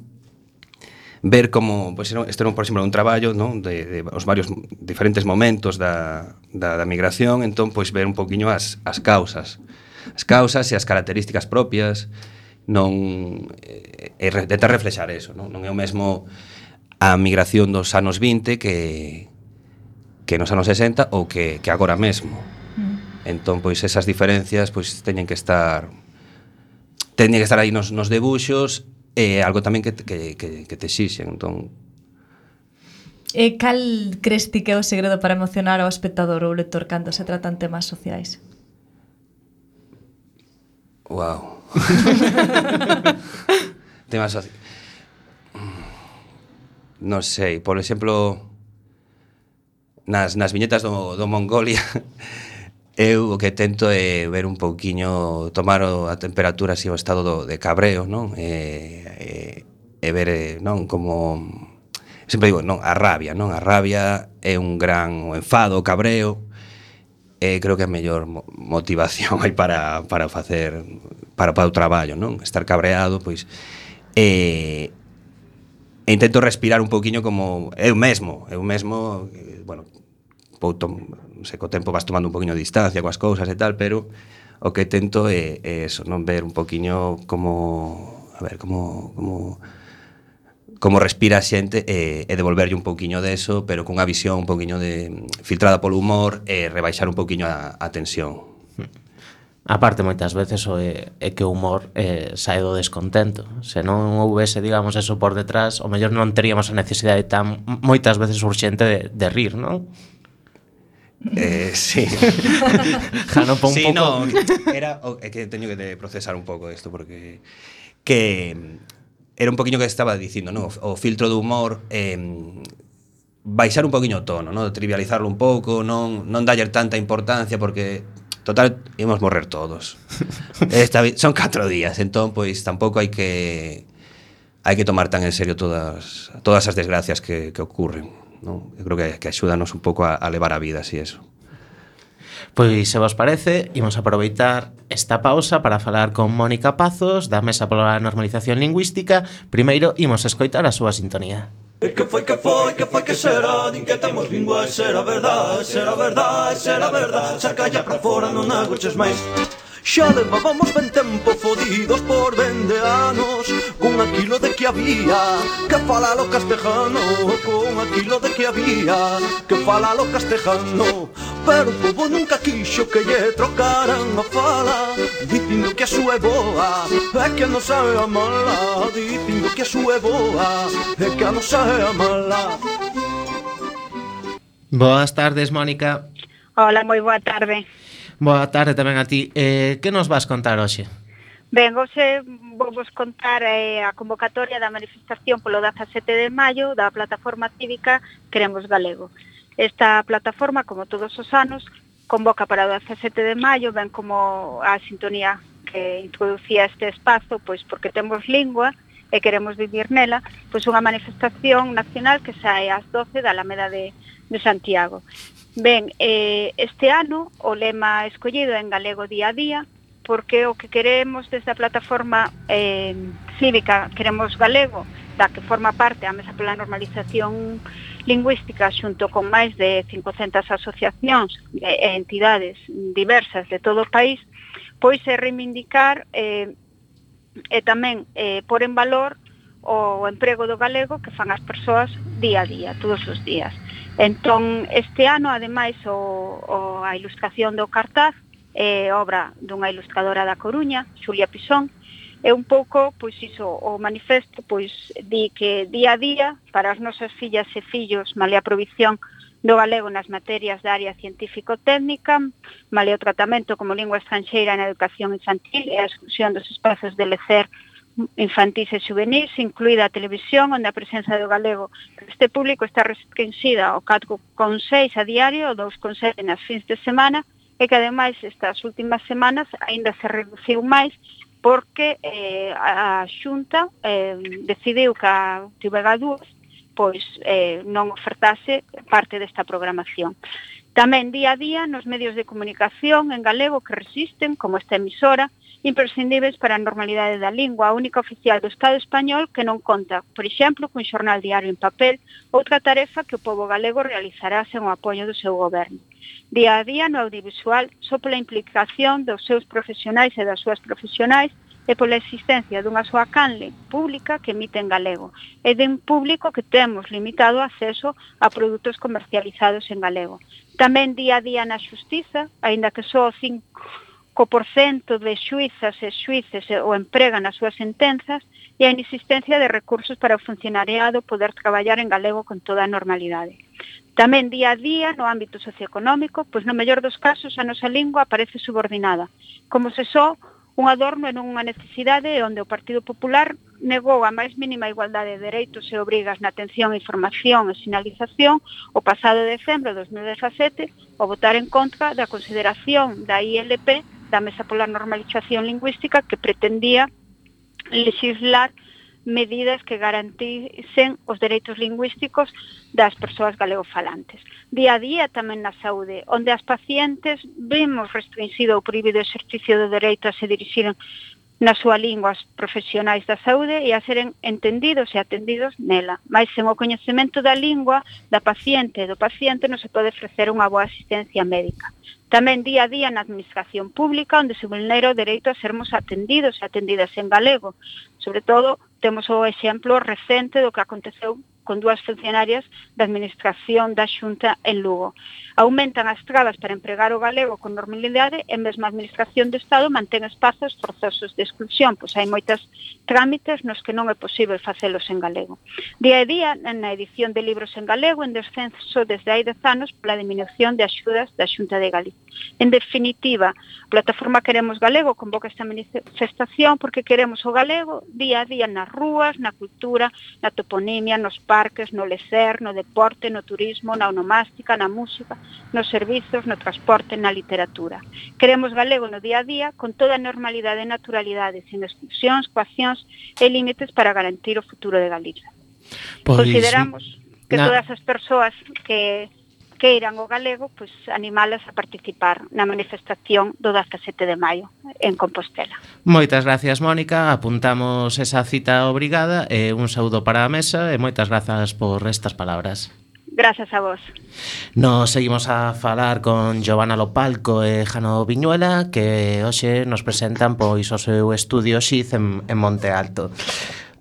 ver como, pois, isto era, por exemplo, un traballo, non, de os varios diferentes momentos da migración, entón, pois, ver un poquinho as causas e as características propias, non tentar reflexar eso, non é o mesmo a migración dos anos 20 que nos anos 60 ou que agora mesmo. Entón, pois, esas diferencias, pois, teñen que estar aí nos debuxos, e algo tamén que te exixen. Entón, cal crees ti que é o segredo para emocionar ao espectador ou lector cando se tratan temas sociais? Wow. Temas sociais. Non sei, por exemplo, nas viñetas do Mongolia, eu o que tento é ver un pouquiño, tomar a temperatura, así, o estado de cabreo, non? E ver, non, como... Sempre digo, non, a rabia, non? A rabia é un gran... O enfado, o cabreo, creo que é a mellor motivación hai para facer... para o traballo, non? Estar cabreado, pois... E intento respirar un pouquiño como... Eu mesmo, bueno... non sei, co tempo vas tomando un poquinho de distancia coas cousas e tal, pero o que tento é eso, non, ver un poquinho como, a ver, como respira a xente e devolverlle un poquinho deso, pero cunha visión un poquinho filtrada polo humor e rebaixar un poquinho a tensión. A parte, moitas veces é que o humor sae do descontento. Se non houvese, digamos, eso por detrás, o mellor non teríamos a necesidade tan moitas veces urxente de rir, non? Sí. Jano, pon sí, un pouco. No, é que teño que procesar un pouco isto, porque que era un poquinho que estaba dicindo, no? O filtro do humor, baixar un poquinho o tono, no? Trivializarlo un pouco, non dalle tanta importancia, porque total ímos morrer todos. Son 4 días, entón pois tampouco hai que tomar tan en serio todas as desgracias que ocurren. No, eu creo que axúdanos un pouco a levar a vida, así eso. Pois, se vos parece, imos aproveitar esta pausa para falar con Mónica Pazos da Mesa pola Normalización Lingüística. Primeiro, imos escoitar a súa sintonía. Que foi que será, din que temos lingua, será verdade, sacalla pra fora, non agoches máis. Xa levábamos ben tempo fodidos por 20 anos, con aquilo de que había que falalo castejano, con aquilo de que había que falalo castejano. Pero o povo nunca quixo que lle trocaran a fala, dicindo que a súa é boa e que a nosa é a mala, dicindo que a súa é boa e que a nosa é a mala. Boas tardes, Mónica. Hola, moi boa tarde. Boa tarde tamén a ti. Que nos vas contar hoxe? Ben, hoxe vou vos contar a convocatoria da manifestación polo 17 de maio da plataforma cívica Queremos Galego. Esta plataforma, como todos os anos, convoca para o 17 de maio, ben como a sintonía que introducía este espazo, pois porque temos lingua e queremos vivir nela, pois unha manifestación nacional que sae ás 12 da Alameda de Santiago. Ben, este ano o lema escollido é en galego día a día, porque o que queremos desde a plataforma cívica Queremos Galego, da que forma parte a Mesa pola Normalización Lingüística xunto con máis de 500 asociacións e entidades diversas de todo o país, pois é reivindicar e tamén pôr en valor o emprego do galego que fan as persoas día a día, todos os días. Entón, este ano, ademais, a ilustración do cartaz é obra dunha ilustradora da Coruña, Xulia Pisón, é un pouco, pois iso, o manifesto, pois di que día a día, para as nosas fillas e fillos, malia a provisión do galego nas materias da área científico-técnica, malia o tratamento como lingua estranxeira na educación infantil e a exclusión dos espazos de lecer infantis e juvenis, incluída a televisión, onde a presenza do galego este público está restringida ao 4,6 a diario, ou 2,7 nas fins de semana, e que ademais estas últimas semanas aínda se reduciu máis porque a Xunta decidiu que a TV2 pois non ofertase parte desta programación. Tamén día a día nos medios de comunicación en galego que resisten, como esta emisora, imprescindíveis para a normalidade da lingua, a única oficial do Estado español que non conta, por exemplo, cun xornal diario en papel, outra tarefa que o pobo galego realizará sen o apoio do seu goberno. Día a día no audiovisual, só pola implicación dos seus profesionais e das súas profesionais e pola existencia dunha soa canle pública que emite en galego e de un público que temos limitado acceso a produtos comercializados en galego. Tamén día a día na xustiza, aínda que só o 5% de xuizas e xuíces o empregan nas súas sentenzas e a inexistencia de recursos para o funcionariado poder traballar en galego con toda a normalidade. Tamén día a día no ámbito socioeconómico, pois no mellor dos casos a nosa lingua aparece subordinada, como se só un adorno en unha necesidade onde o Partido Popular negou a máis mínima igualdade de dereitos e obrigas na atención, información e sinalización o pasado decembro de 2017 ao votar en contra da consideración da ILP da Mesa pola Normalización Lingüística que pretendía legislar medidas que garantisen os dereitos lingüísticos das persoas galegofalantes. Día a día tamén na saúde, onde as pacientes vemos restringido o prohibido exercicio do dereito a se dirixiren na súa lingua aos profesionais da saúde e a seren entendidos e atendidos nela. Mais sen o coñecemento da lingua da paciente e do paciente non se pode ofrecer unha boa asistencia médica. Tamén día a día na administración pública, onde se vulnera o dereito a sermos atendidos e atendidas en galego. Sobre todo, temos o exemplo recente do que aconteceu con dúas funcionarias da Administración da Xunta en Lugo. Aumentan as trabas para empregar o galego con normalidade e mesmo a Administración do Estado mantén espazos forzosos de exclusión, pois hai moitas trámites nos que non é posible facelos en galego. Día a día, na edición de libros en galego, en descenso desde hai 10 anos pola diminución de axudas da Xunta de Galicia. En definitiva, a plataforma Queremos Galego convoca esta manifestación porque queremos o galego día a día nas rúas, na cultura, na toponimia, nos parques, no lecer, no deporte, no turismo, na onomástica, na música, nos servizos, no transporte, na literatura. Queremos galego no día a día con toda a normalidade e naturalidade, sen exclusións, coaccións e límites para garantir o futuro de Galicia. Consideramos que todas as persoas que queiran o galego, pois animalas a participar na manifestación do 17 de maio en Compostela. Moitas gracias, Mónica. Apuntamos esa cita obrigada e un saúdo para a mesa e moitas grazas por estas palabras. Grazas a vos. Nos seguimos a falar con Giovanna Lopalco e Jano Viñuela, que hoxe nos presentan pois o seu estudio Xiz en Monte Alto.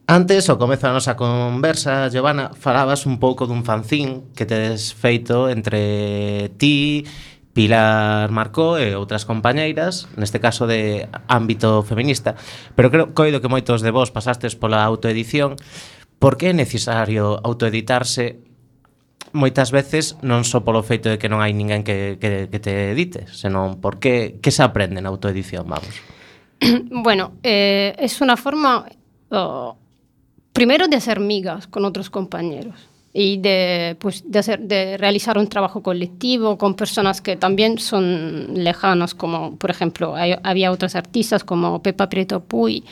Antes, ao comezo da nosa conversa, Giovanna, falabas un pouco dun fanzín que tedes feito entre ti, Pilar Marcó e outras compañeiras, neste caso de ámbito feminista, pero coido que moitos de vos pasastes pola autoedición. Por que é necesario autoeditarse moitas veces non só polo feito de que non hai ninguén que te edite, senón porque que se aprende na autoedición, vamos. Bueno, es una forma, primero, de hacer migas con otros compañeros y de realizar un trabajo colectivo con personas que también son lejanas, como, por ejemplo, había otros artistas como Pepa Prieto Puy,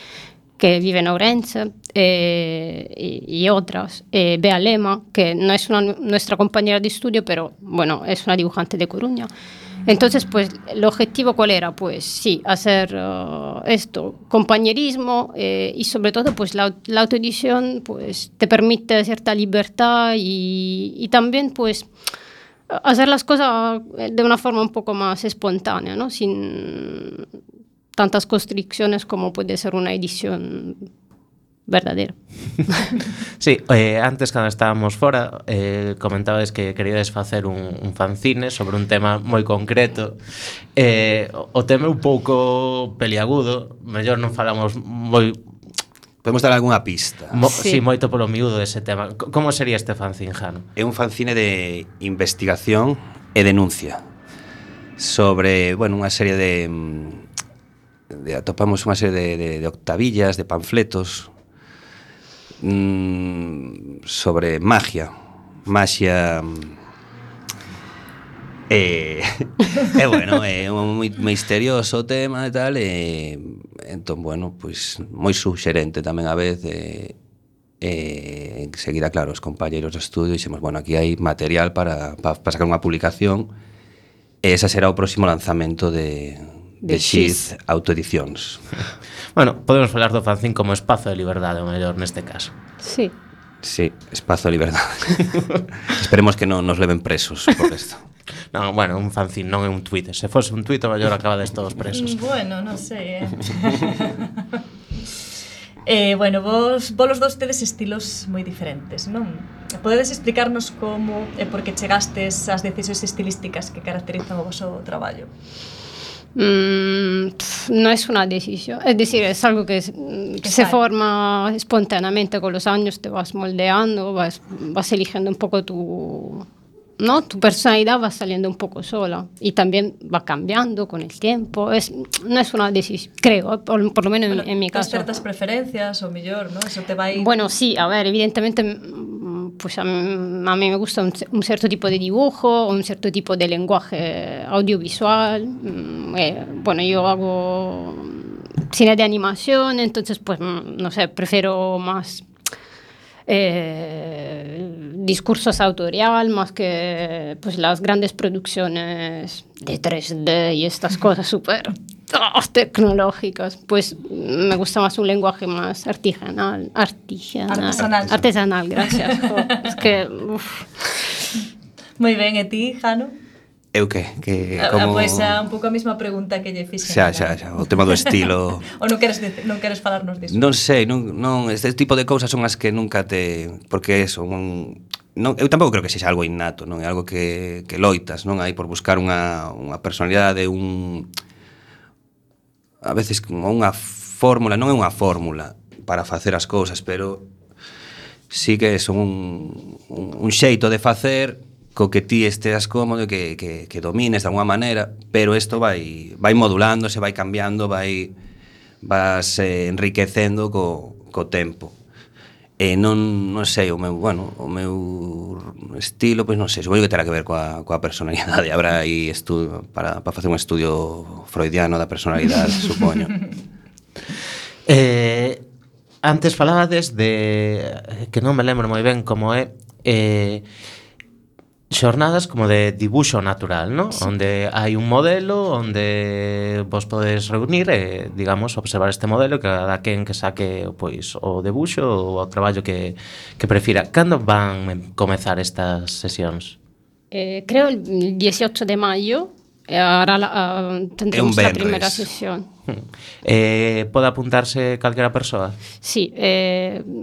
que vive en Ourense, y otras. Bea Lema, que no es nuestra compañera de estudio, pero bueno, es una dibujante de Coruña. Entonces, pues, el objetivo, ¿cuál era? Pues sí, hacer esto, compañerismo, y sobre todo, pues, la autoedición, pues, te permite cierta libertad y también, pues, hacer las cosas de una forma un poco más espontánea, ¿no? Sin tantas constricciones como puede ser una edición verdadera. Sí, antes cando estábamos fora comentabades que queríades facer un fanzine sobre un tema moi concreto. O tema é un pouco peliagudo, mellor non falamos moi... Podemos dar algunha pista. Sí, moito polo miúdo dese tema. Como sería este fanzine, Jano? É un fanzine de investigación e denuncia sobre, bueno, unha serie de atopamos unha serie de octavillas, de panfletos sobre magia bueno, é moi misterioso o tema e tal, entón, bueno, pois moi suxerente tamén a vez, enseguida, claro, os compañeros do estudio dixemos, bueno, aquí hai material para sacar unha publicación, e esa será o próximo lanzamento de Xiz Autoedicións. Bueno, podemos falar do fanzín como espazo de liberdade, o mellor neste caso. Sí. Sí, espazo de liberdade. Esperemos que non nos leven presos por isto. Non, bueno, un fanzín non é un tuit. Se fose un tuit, o mellor acabades todos presos. Bueno, non sei, bueno, vos os dous tedes estilos moi diferentes, non? Podedes explicarnos como e por que chegastes ás decisións estilísticas que caracterizan o voso traballo? No es una decisión, es decir, es algo que se forma espontáneamente con los años, te vas moldeando, vas eligiendo un poco tu personalidad, va saliendo un poco sola y también va cambiando con el tiempo. No es una decisión, creo, por lo menos bueno, en mi caso. Ciertas preferencias o mejor, ¿no? Eso te va a ir... Bueno, sí, a ver, evidentemente pues a mí me gusta un cierto tipo de dibujo, un cierto tipo de lenguaje audiovisual. Bueno, yo hago cine de animación, entonces pues no sé, prefiero más discursos autorial más que pues las grandes producciones de 3D y estas cosas súper tecnológicas. Pues me gusta más un lenguaje más artesanal, gracias. Es que Moi ben, e ti, Jano? Eu que como... Pois é un pouco a mesma pregunta que lle fixen. Xa, o tema do estilo. Ou non queres falarnos disso? Non sei, non, este tipo de cousas son as que nunca te... Porque eso, eu tampouco creo que sexa algo innato, non é algo que loitas, non hai por buscar unha personalidade, a veces unha fórmula, non é unha fórmula para facer as cousas, pero sí que son un xeito de facer co que ti esteas cómodo e que domines de alguma maneira, pero isto vai modulándose, vai cambiando, vas enriquecendo co tempo. E non sei, o meu estilo, pois non sei, supoño que terá que ver coa personalidade. Habrá aí estudo para facer un estudio freudiano da personalidade, supoño. Antes falabades de que non me lembro moi ben como é xornadas como de dibuixo natural, ¿no? Sí. Onde hai un modelo onde vos podedes reunir e, digamos, observar este modelo que cada quen que saque pois o debuxo ou o traballo que prefira. Cando van comezar estas sesións? Creo el 18 de mayo. Ahora tendremos la primera sesión. ¿Puede apuntarse calquera persoa? Sí,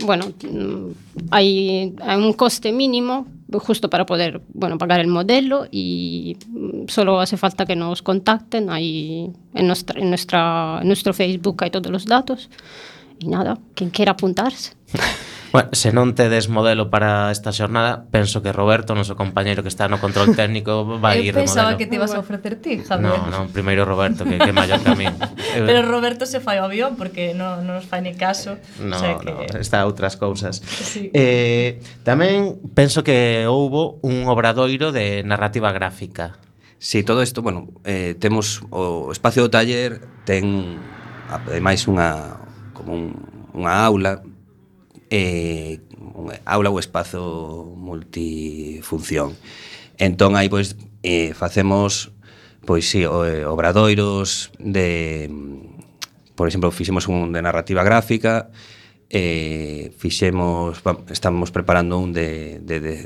bueno, hay un coste mínimo justo para poder, bueno, pagar el modelo y solo hace falta que nos contacten. Ahí en nuestro Facebook hay todos los datos E nada, quen quera apuntarse. Bueno, se non tedes modelo para esta xornada, penso que Roberto, noso compañeiro que está no control técnico, vai ir de modelo. Eu pensaba que te ibas a ofrecer ti, Javier. Non, primeiro Roberto, que é maior que a mí. Pero Roberto se fai o avión porque non nos fai ni caso. No, o sea que... no, está a outras cousas. Sí. Tamén penso que houbo un obradoiro de narrativa gráfica. Sí, todo isto, bueno, temos o espacio do taller ten ademais unha aula ou espazo multifunción. Entón aí pois facemos pois si obradoiros de, por exemplo, fixemos un de narrativa gráfica, estamos preparando un de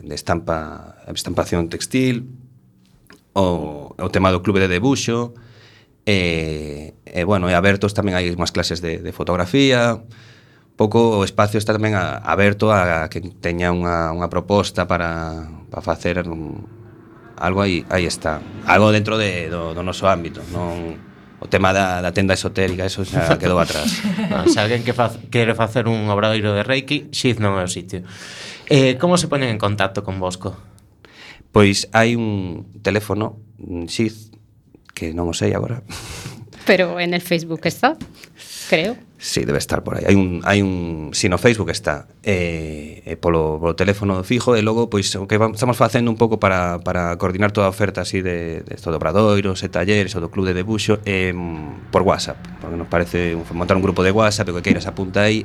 estampación textil, o tema do clube de debuxo, bueno, e abertos tamén hai unhas clases de fotografía. Pouco o espacio está tamén aberto a que teña unha proposta para facer algo aí está. Algo dentro do noso ámbito, non o tema da tenda esotérica, eso xa quedou atrás. Se alguén quere facer un obradoiro de Reiki, Xiz non é o sitio. Como se poñen en contacto con Bosco? Pois hai un teléfono, Xiz, que non o sei agora. Pero en el Facebook está, creo. Sí, debe estar por aí. Hai un si no Facebook está, polo teléfono fijo, e logo pois o que estamos facendo un pouco para coordinar toda a oferta así de esto de obradoiros e talleres ou do club de debuxo por WhatsApp, porque nos parece montar un grupo de WhatsApp, o que queiras apunta aí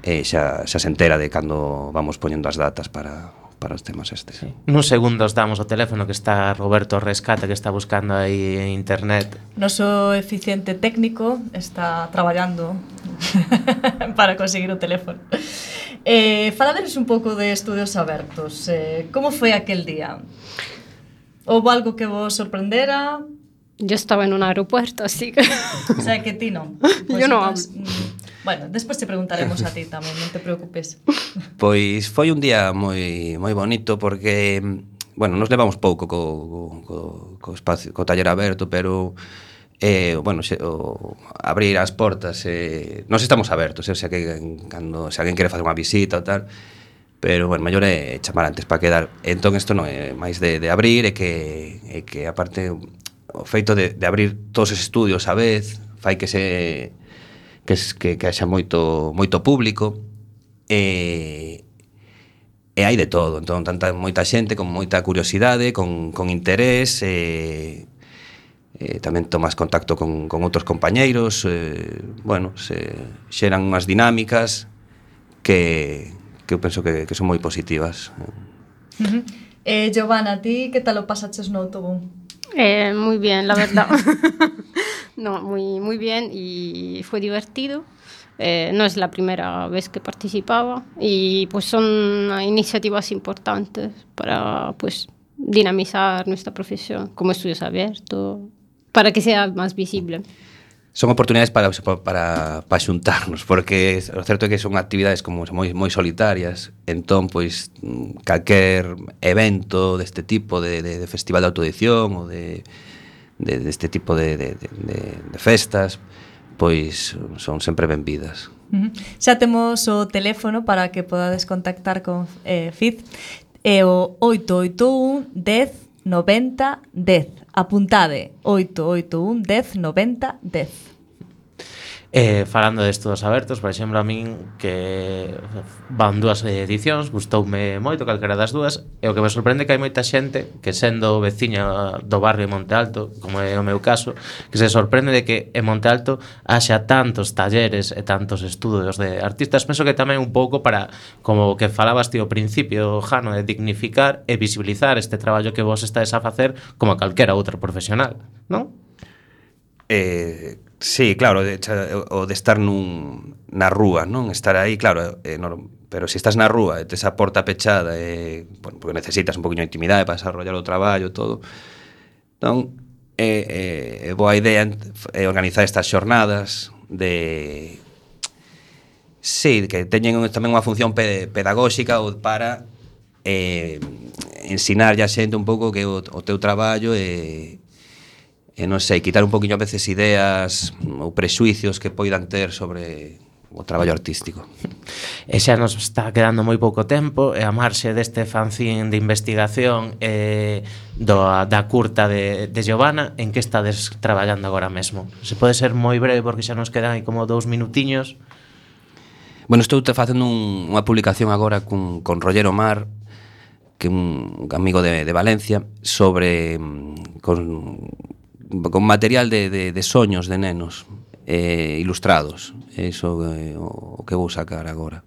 e xa se entera de cando vamos poñendo as datas para os temas estes. Sí. Nuns segundos damos o teléfono que está Roberto Rescate, que está buscando aí en internet. Noso eficiente técnico está traballando para conseguir o teléfono. Faladeros un pouco de Estudios Abertos. Como foi aquel día? Houve algo que vos sorprendera? Yo estaba en un aeropuerto, así que... O sea, que ti non. Yo no hablo. Bueno, despois te preguntaremos a ti tamén, non te preocupes. Pois foi un día moi bonito porque, bueno, nos levamos pouco co espacio, co taller aberto, pero bueno, abrir as portas, nós estamos abertos, o sea que se alguén quere facer unha visita ou tal, pero, bueno, mellor é chamar antes para quedar. Entón, isto non é máis de abrir, e que aparte, o feito de abrir todos os estudios a vez, fai que haxa moito público, e hai de todo. Entón, moita xente con moita curiosidade, con interés, tamén tomas contacto con outros compañeiros, bueno, se xeran unhas dinámicas que eu penso que son moi positivas. Giovanna, ti que tal o pasaches no autobús? Muy bien, la verdad. No, muy bien, y fue divertido. No es la primera vez que participaba, y pues son iniciativas importantes para pues dinamizar nuestra profesión como estudios abiertos, para que sea más visible. Son oportunidades para xuntarnos, porque o certo é que son actividades como moi solitarias. Entón, pois, calquer evento deste tipo de festival de autoedición ou deste tipo de festas, pois son sempre benvidas. Xa temos o teléfono para que podades contactar con FIZ, é o 881 10 90 10. Apuntade, 881 10 90 10. Falando de Estudos Abertos, por exemplo, a min que van dúas edicións, gustoume moito calquera das dúas, e o que me sorprende que hai moita xente que, sendo veciña do barrio de Monte Alto, como é o meu caso, que se sorprende de que en Monte Alto haxa tantos talleres e tantos estudos de artistas. Penso que tamén un pouco para, como que falabas ti ao principio, Jano, de dignificar e visibilizar este traballo que vos estades a facer como calquera outro profesional, non? Sí, claro, o de estar na rúa, non? Estar aí, claro, pero se estás na rúa e tes a porta pechada, bueno, porque necesitas un poquinho de intimidade para desarrollar o traballo e todo, non? Boa idea organizar estas xornadas de... Sí, que teñen tamén unha función pedagóxica ou para ensinar a xente un pouco que o teu traballo non sei, quitar un poquinho a veces ideas ou prexuicios que poidan ter sobre o traballo artístico. E xa nos está quedando moi pouco tempo, e a marxe deste fanzín de investigación da curta de Giovanna, en que estades traballando agora mesmo? Se pode ser moi breve porque xa nos quedan aí como 2 minutiños. Bueno, estou facendo unha publicación agora con Roger Omar, que é un amigo de Valencia, sobre con material de soños de nenos ilustrados. Iso é o que vou sacar agora.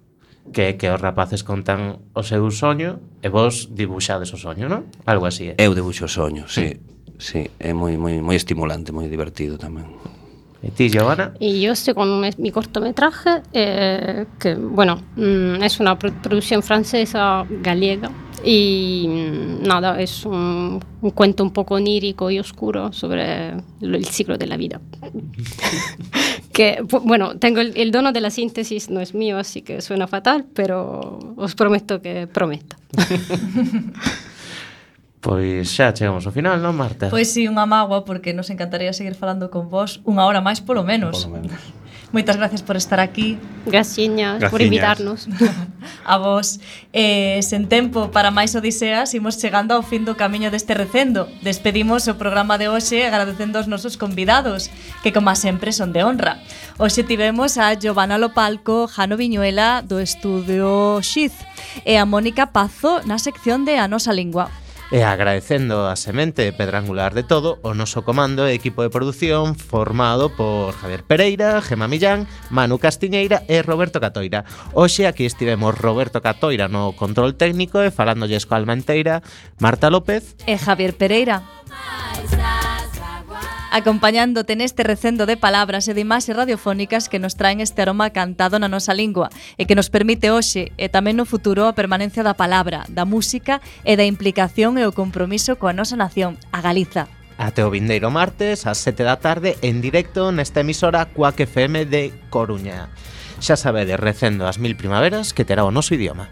Que os rapaces contan o seu soño e vos dibuixades o soño, non? Algo así, Eu dibuixo o soño, sí. Sí, é moi estimulante, moi divertido tamén. ¿Y ti, Giovanna? Y yo estoy con mi cortometraje, que, bueno, es una producción francesa gallega. Y nada, es un cuento un poco onírico y oscuro sobre el ciclo de la vida. Que, bueno, tengo el dono de la síntesis, no es mío, así que suena fatal, pero os prometo que prometo. Pois xa chegamos ao final, non, Marta? Pois si, unha mágoa, porque nos encantaría seguir falando con vos unha hora máis polo menos. Moitas gracias por estar aquí. Graciñas por invitarnos. A vos. Sen tempo para máis odiseas, imos chegando ao fin do camiño deste recendo. Despedimos o programa de hoxe agradecendo aos nosos convidados, que como sempre son de honra. Hoxe tivemos a Giovanna Lopalco, Jano Viñuela do estudio Xiz e a Mónica Pazo na sección de A Nosa Lingua. E agradecendo a semente pedrangular de todo o noso comando e equipo de produción formado por Javier Pereira, Gema Millán, Manu Castiñeira e Roberto Catoira. Hoxe aquí estivemos Roberto Catoira no control técnico e falándolles coa alma enteira, Marta López e Javier Pereira. Acompañándote neste recendo de palabras e de imaxes radiofónicas que nos traen este aroma cantado na nosa lingua e que nos permite hoxe e tamén no futuro a permanencia da palabra, da música e da implicación e o compromiso coa nosa nación, a Galiza. Até o vindeiro martes ás 7 da tarde en directo nesta emisora Cuac FM de Coruña. Xa sabedes, recendo as 1000 primaveras que terá o noso idioma.